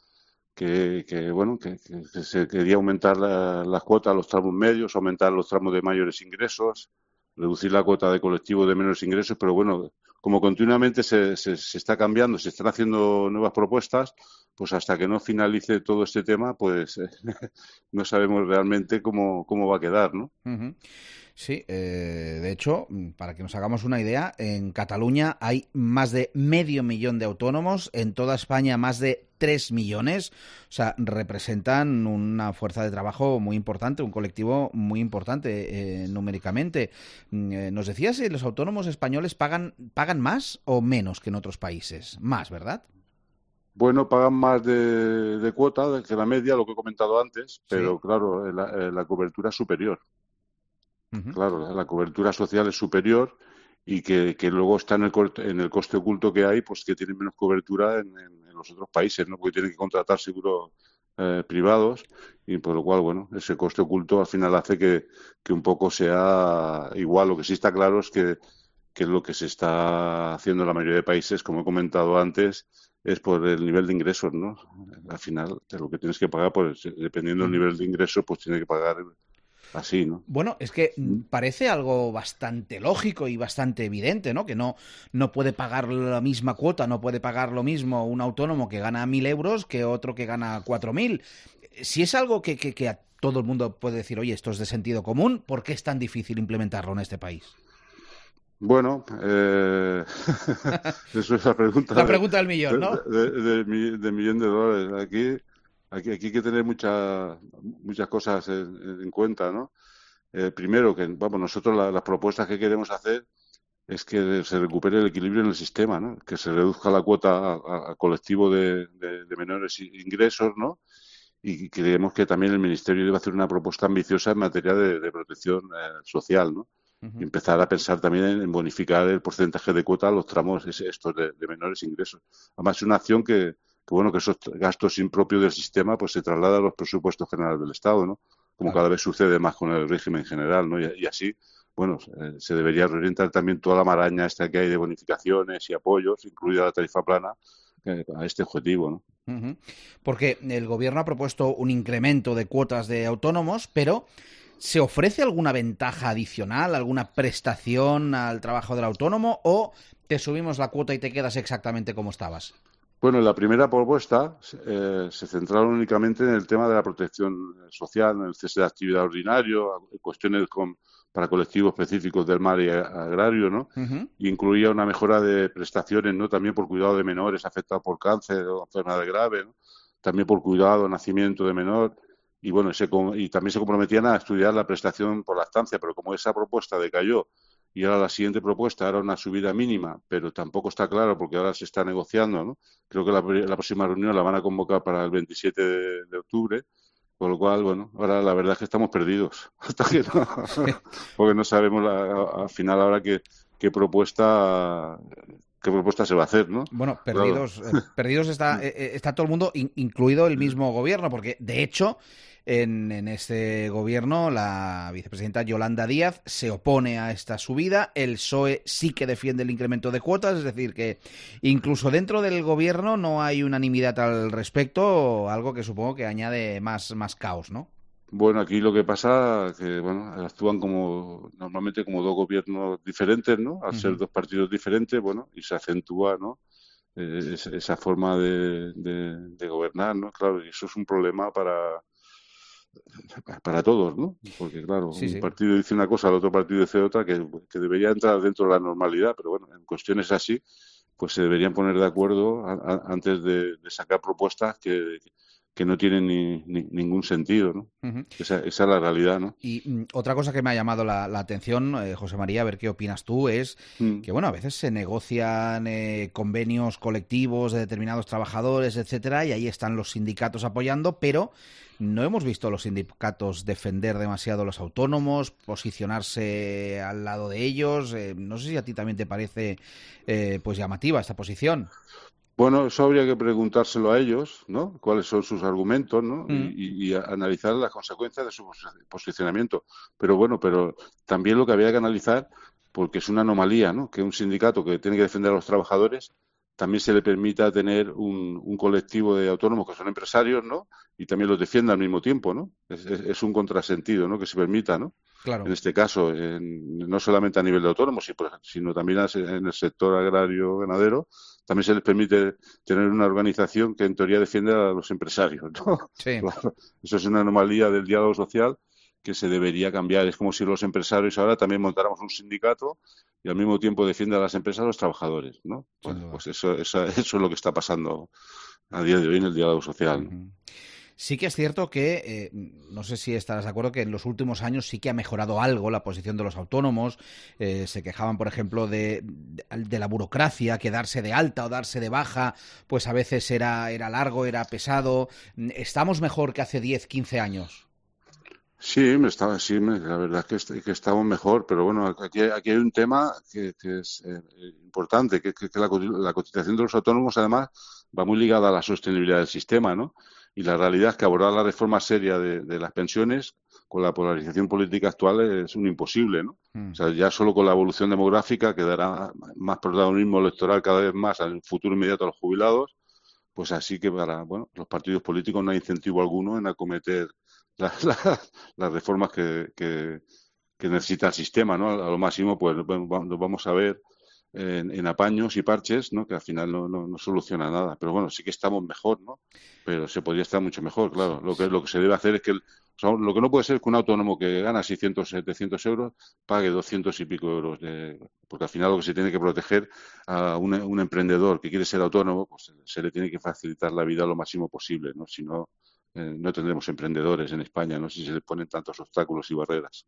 Que, que bueno, que, que se quería aumentar la, las cuotas a los tramos medios, aumentar los tramos de mayores ingresos, reducir la cuota de colectivos de menores ingresos, pero bueno, como continuamente se, se, se está cambiando, se están haciendo nuevas propuestas, pues hasta que no finalice todo este tema, pues eh, no sabemos realmente cómo, cómo va a quedar, ¿no? Uh-huh. Sí, eh, de hecho, para que nos hagamos una idea, en Cataluña hay más de medio millón de autónomos, en toda España más de tres millones, o sea, representan una fuerza de trabajo muy importante, un colectivo muy importante eh, numéricamente. Eh, nos decías si los autónomos españoles pagan, pagan más o menos que en otros países. Más, ¿verdad? Bueno, pagan más de, de cuota que la media, lo que he comentado antes, pero sí. Claro, la, la cobertura es superior. Uh-huh. Claro, la, la cobertura social es superior y que, que luego está en el, en el coste oculto que hay, pues que tienen menos cobertura en, en, en los otros países, ¿no? Porque tienen que contratar seguros eh, privados y por lo cual, bueno, ese coste oculto al final hace que, que un poco sea igual. Lo que sí está claro es que, que lo que se está haciendo en la mayoría de países, como he comentado antes, es por el nivel de ingresos, ¿no? Al final, de lo que tienes que pagar, pues dependiendo del nivel de ingresos, pues tienes que pagar así, ¿no? Bueno, es que parece algo bastante lógico y bastante evidente, ¿no? Que no, no puede pagar la misma cuota, no puede pagar lo mismo un autónomo que gana mil euros que otro que gana cuatro mil. Si es algo que, que, que a todo el mundo puede decir, oye, esto es de sentido común, ¿por qué es tan difícil implementarlo en este país? Bueno, eh... eso es la pregunta. La pregunta del millón, ¿no? De, de, de, de millón de dólares. Aquí, aquí, aquí hay que tener muchas muchas cosas en, en cuenta, ¿no? Eh, primero, que vamos, nosotros la, las propuestas que queremos hacer es que se recupere el equilibrio en el sistema, ¿no? Que se reduzca la cuota al colectivo de, de, de menores ingresos, ¿no? y creemos que también el Ministerio debe hacer una propuesta ambiciosa en materia de, de protección eh, social, ¿no? Uh-huh. Y empezar a pensar también en, en bonificar el porcentaje de cuota a los tramos estos de, de menores ingresos. Además, es una acción que, que, bueno, que esos gastos impropios del sistema pues se trasladan a los presupuestos generales del Estado, ¿no? Como claro. Cada vez sucede más con el régimen general, ¿no? Y, y así, bueno, eh, se debería reorientar también toda la maraña esta que hay de bonificaciones y apoyos, incluida la tarifa plana, eh, a este objetivo, ¿no? Uh-huh. Porque el Gobierno ha propuesto un incremento de cuotas de autónomos, pero ¿se ofrece alguna ventaja adicional, alguna prestación al trabajo del autónomo o te subimos la cuota y te quedas exactamente como estabas? Bueno, en la primera propuesta eh, se centraron únicamente en el tema de la protección social, en el cese de actividad ordinario, cuestiones con, para colectivos específicos del mar y agrario, ¿no? Uh-huh. Y incluía una mejora de prestaciones, ¿no? También por cuidado de menores afectados por cáncer o enfermedad grave, ¿no? También por cuidado, nacimiento de menor. Y bueno, se, y también se comprometían a estudiar la prestación por lactancia, pero como esa propuesta decayó y ahora la siguiente propuesta era una subida mínima, pero tampoco está claro porque ahora se está negociando, ¿no? Creo que la, la próxima reunión la van a convocar para el veintisiete de, de octubre, con lo cual, bueno, ahora la verdad es que estamos perdidos, hasta que no, porque no sabemos la, al final ahora qué, qué propuesta... ¿Qué propuesta se va a hacer, no? Bueno, perdidos, claro. eh, perdidos está, eh, está todo el mundo, in, incluido el mismo gobierno, porque de hecho en, en este gobierno la vicepresidenta Yolanda Díaz se opone a esta subida, el P S O E sí que defiende el incremento de cuotas, es decir, que incluso dentro del gobierno no hay unanimidad al respecto, algo que supongo que añade más, más caos, ¿no? Bueno, aquí lo que pasa es que bueno, actúan como normalmente como dos gobiernos diferentes, ¿no? Al uh-huh. ser dos partidos diferentes, bueno, y se acentúa, ¿no? Eh, esa, esa forma de, de, de gobernar, ¿no? Claro, y eso es un problema para para todos, ¿no? Porque claro, sí, un sí. partido dice una cosa, el otro partido dice otra, que, que debería entrar dentro de la normalidad, pero bueno, en cuestiones así, pues se deberían poner de acuerdo a, a, antes de, de sacar propuestas que que no tienen ni, ni, ningún sentido, ¿no? Uh-huh. Esa, esa es la realidad, ¿no? Y mm, otra cosa que me ha llamado la, la atención, eh, José María, a ver qué opinas tú, es mm. que, bueno, a veces se negocian eh, convenios colectivos de determinados trabajadores, etcétera, y ahí están los sindicatos apoyando, pero no hemos visto a los sindicatos defender demasiado a los autónomos, posicionarse al lado de ellos. Eh, no sé si a ti también te parece eh, pues llamativa esta posición. Bueno, eso habría que preguntárselo a ellos, ¿no? Cuáles son sus argumentos, ¿no? Mm. Y, y analizar las consecuencias de su posicionamiento. Pero bueno, pero también lo que habría que analizar, porque es una anomalía, ¿no? Que un sindicato que tiene que defender a los trabajadores también se le permita tener un, un colectivo de autónomos que son empresarios, ¿no? Y también los defienda al mismo tiempo, ¿no? Es, es, es un contrasentido, ¿no? Que se permita, ¿no? Claro. En este caso, en, no solamente a nivel de autónomos, sino también en el sector agrario-ganadero, también se les permite tener una organización que en teoría defiende a los empresarios, ¿no? Sí. Claro, eso es una anomalía del diálogo social que se debería cambiar. Es como si los empresarios ahora también montáramos un sindicato y al mismo tiempo defiende a las empresas a los trabajadores, ¿no? Pues, pues eso, eso, eso es lo que está pasando a día de hoy en el diálogo social, ¿no? Uh-huh. Sí que es cierto que, eh, no sé si estarás de acuerdo, que en los últimos años sí que ha mejorado algo la posición de los autónomos. Eh, se quejaban, por ejemplo, de, de, de la burocracia, que darse de alta o darse de baja, pues a veces era, era largo, era pesado. ¿Estamos mejor que hace diez, quince años? Sí, me estaba, sí me, la verdad es que, que estamos mejor, pero bueno, aquí, aquí hay un tema que, que es eh, importante, que, que, que la, la cotización de los autónomos además va muy ligada a la sostenibilidad del sistema, ¿no? Y la realidad es que abordar la reforma seria de, de las pensiones con la polarización política actual es un imposible, ¿no? Mm. O sea, ya solo con la evolución demográfica que dará más protagonismo electoral cada vez más al futuro inmediato a los jubilados, pues así que para bueno, los partidos políticos no hay incentivo alguno en acometer las, las, las reformas que, que, que necesita el sistema, ¿no? A lo máximo, pues nos vamos a ver En, en apaños y parches, ¿no? Que al final no, no, no soluciona nada. Pero bueno, sí que estamos mejor, ¿no? Pero se podría estar mucho mejor, claro. Lo que, lo que se debe hacer es que... El, o sea, lo que no puede ser es que un autónomo que gana seiscientos, setecientos euros pague doscientos y pico euros. De, porque al final lo que se tiene que proteger a un, un emprendedor que quiere ser autónomo, pues se le tiene que facilitar la vida lo máximo posible, ¿no? Si no, eh, no tendremos emprendedores en España, no sé si se les ponen tantos obstáculos y barreras.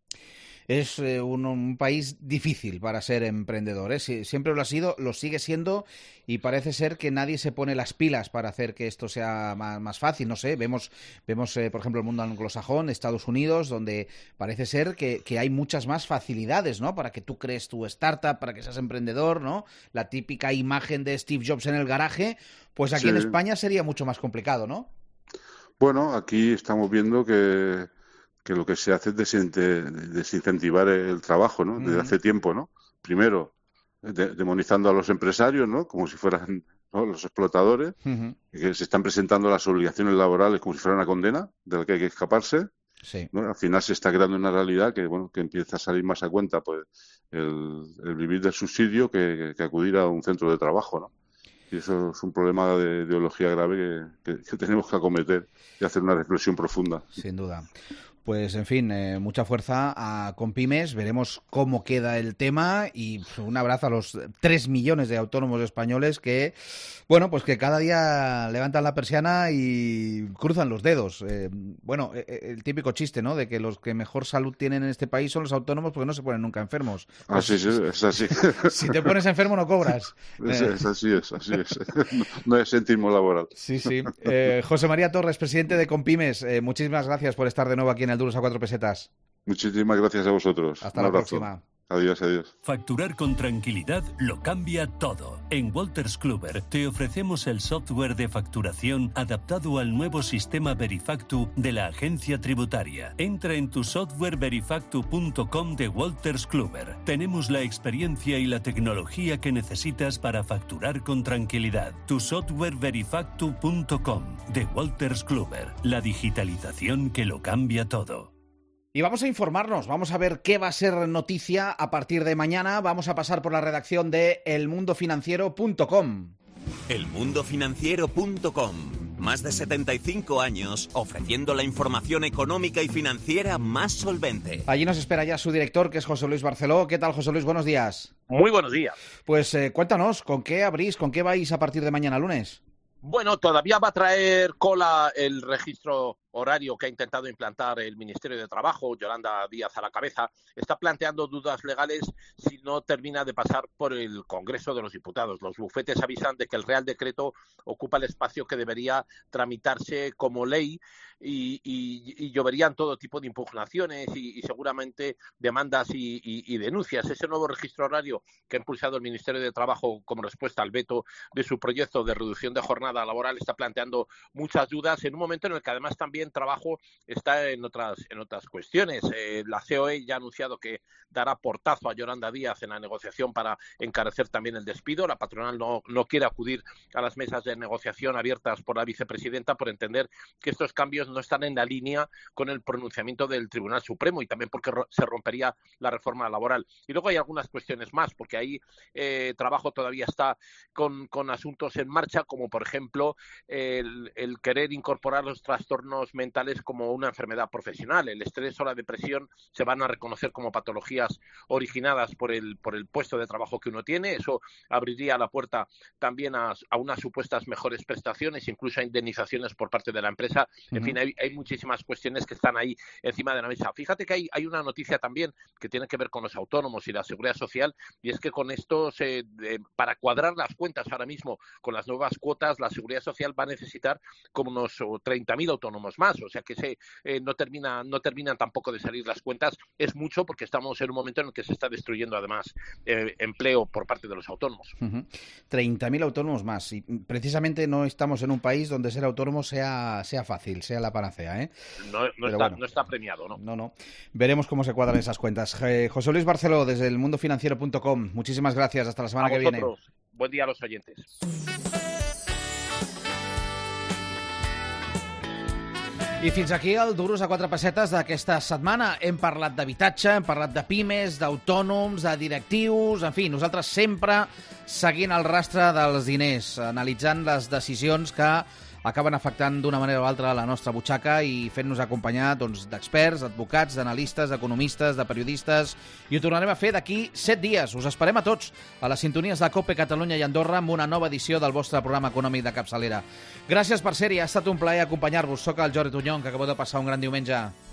Es eh, un, un país difícil para ser emprendedor, ¿eh? Sie- siempre lo ha sido, lo sigue siendo, y parece ser que nadie se pone las pilas para hacer que esto sea más, más fácil. No sé, vemos, vemos eh, por ejemplo, el mundo anglosajón, Estados Unidos, donde parece ser que, que hay muchas más facilidades, ¿no? Para que tú crees tu startup, para que seas emprendedor, ¿no? La típica imagen de Steve Jobs en el garaje, pues aquí Sí. en España sería mucho más complicado, ¿no? Bueno, aquí estamos viendo que, que lo que se hace es desinte- desincentivar el trabajo, ¿no? Desde Ujú. hace tiempo, ¿no? Primero, de- demonizando a los empresarios, ¿no? Como si fueran, ¿no?, los explotadores, Ujú. que se están presentando las obligaciones laborales como si fuera una condena de la que hay que escaparse, Sí. ¿no? Al final se está creando una realidad que, bueno, que empieza a salir más a cuenta, pues, el, el vivir del subsidio que, que acudir a un centro de trabajo, ¿no? Y eso es un problema de ideología grave que, que, que tenemos que acometer y hacer una reflexión profunda. Sin duda. Pues, en fin, eh, mucha fuerza a Compymes. Veremos cómo queda el tema, y pues, un abrazo a los tres millones de autónomos españoles que, bueno, pues que cada día levantan la persiana y cruzan los dedos. Eh, bueno, eh, el típico chiste, ¿no?, de que los que mejor salud tienen en este país son los autónomos porque no se ponen nunca enfermos. Pues, Así es, es así. si te pones enfermo no cobras. Es, Eh, es así es, así es. No, no es sentismo laboral. Sí, sí. Eh, José María Torres, presidente de Compymes, eh, muchísimas gracias por estar de nuevo aquí en el Duros a cuatro pesetas. Muchísimas gracias a vosotros. Hasta Un la abrazo. próxima. Adiós, adiós. Facturar con tranquilidad lo cambia todo. En Wolters Kluwer te ofrecemos el software de facturación adaptado al nuevo sistema Verifactu de la agencia tributaria. Entra en tu software verifactu punto com de Wolters Kluwer. Tenemos la experiencia y la tecnología que necesitas para facturar con tranquilidad. Tu software verifactu punto com de Wolters Kluwer. La digitalización que lo cambia todo. Y vamos a informarnos, vamos a ver qué va a ser noticia a partir de mañana. Vamos a pasar por la redacción de el mundo financiero punto com. el mundo financiero punto com. Más de setenta y cinco años ofreciendo la información económica y financiera más solvente. Allí nos espera ya su director, que es José Luis Barceló. ¿Qué tal, José Luis? Buenos días. Muy buenos días. Pues eh, cuéntanos, ¿con qué abrís, con qué vais a partir de mañana lunes? Bueno, todavía va a traer cola el registro horario que ha intentado implantar el Ministerio de Trabajo, Yolanda Díaz a la cabeza. Está planteando dudas legales si no termina de pasar por el Congreso de los Diputados. Los bufetes avisan de que el Real Decreto ocupa el espacio que debería tramitarse como ley y, y, y lloverían todo tipo de impugnaciones y, y seguramente demandas y, y, y denuncias. Ese nuevo registro horario que ha impulsado el Ministerio de Trabajo como respuesta al veto de su proyecto de reducción de jornada laboral está planteando muchas dudas en un momento en el que además también trabajo está en otras en otras cuestiones. Eh, la C O E ya ha anunciado que dará portazo a Yolanda Díaz en la negociación para encarecer también el despido. La patronal no, no quiere acudir a las mesas de negociación abiertas por la vicepresidenta por entender que estos cambios no están en la línea con el pronunciamiento del Tribunal Supremo y también porque ro- se rompería la reforma laboral. Y luego hay algunas cuestiones más, porque ahí eh, trabajo todavía está con, con asuntos en marcha, como por ejemplo el, el querer incorporar los trastornos mentales como una enfermedad profesional. El estrés o la depresión se van a reconocer como patologías originadas por el, por el puesto de trabajo que uno tiene. Eso abriría la puerta también a, a unas supuestas mejores prestaciones, incluso a indemnizaciones por parte de la empresa. En uh-huh. fin, hay, hay muchísimas cuestiones que están ahí encima de la mesa. Fíjate que hay, hay una noticia también que tiene que ver con los autónomos y la seguridad social, y es que con esto, se, eh, para cuadrar las cuentas ahora mismo con las nuevas cuotas, la seguridad social va a necesitar como unos treinta mil autónomos más, o sea que se, eh, no, termina, no terminan tampoco de salir las cuentas. Es mucho porque estamos en un momento en el que se está destruyendo además eh, empleo por parte de los autónomos. Uh-huh. treinta mil autónomos más, y precisamente no estamos en un país donde ser autónomo sea, sea fácil, sea la panacea, ¿eh? No, no, está, bueno, no está premiado, ¿no? No, no. Veremos cómo se cuadran esas cuentas. Eh, José Luis Barceló, desde el mundo financiero punto com. Muchísimas gracias. Hasta la semana a que vosotros. viene. Buen día a los oyentes. I fins aquí el Duros a quatre pessetes d'aquesta setmana. Hem parlat d'habitatge, hem parlat de pimes, d'autònoms, de directius, en fi, nosaltres sempre seguint el rastre dels diners, analitzant les decisions que acaben afectant d'una manera o altra la nostra butxaca i fent-nos acompanyar doncs, d'experts, d'advocats, d'analistes, d'economistes, de periodistes, i ho tornarem a fer d'aquí set dies. Us esperem a tots a les sintonies de COPE Catalunya i Andorra amb una nova edició del vostre programa econòmic de capçalera. Gràcies per ser-hi, ha estat un plaer acompanyar-vos. Soc el Jordi Tunyón, que acabo de passar un gran diumenge.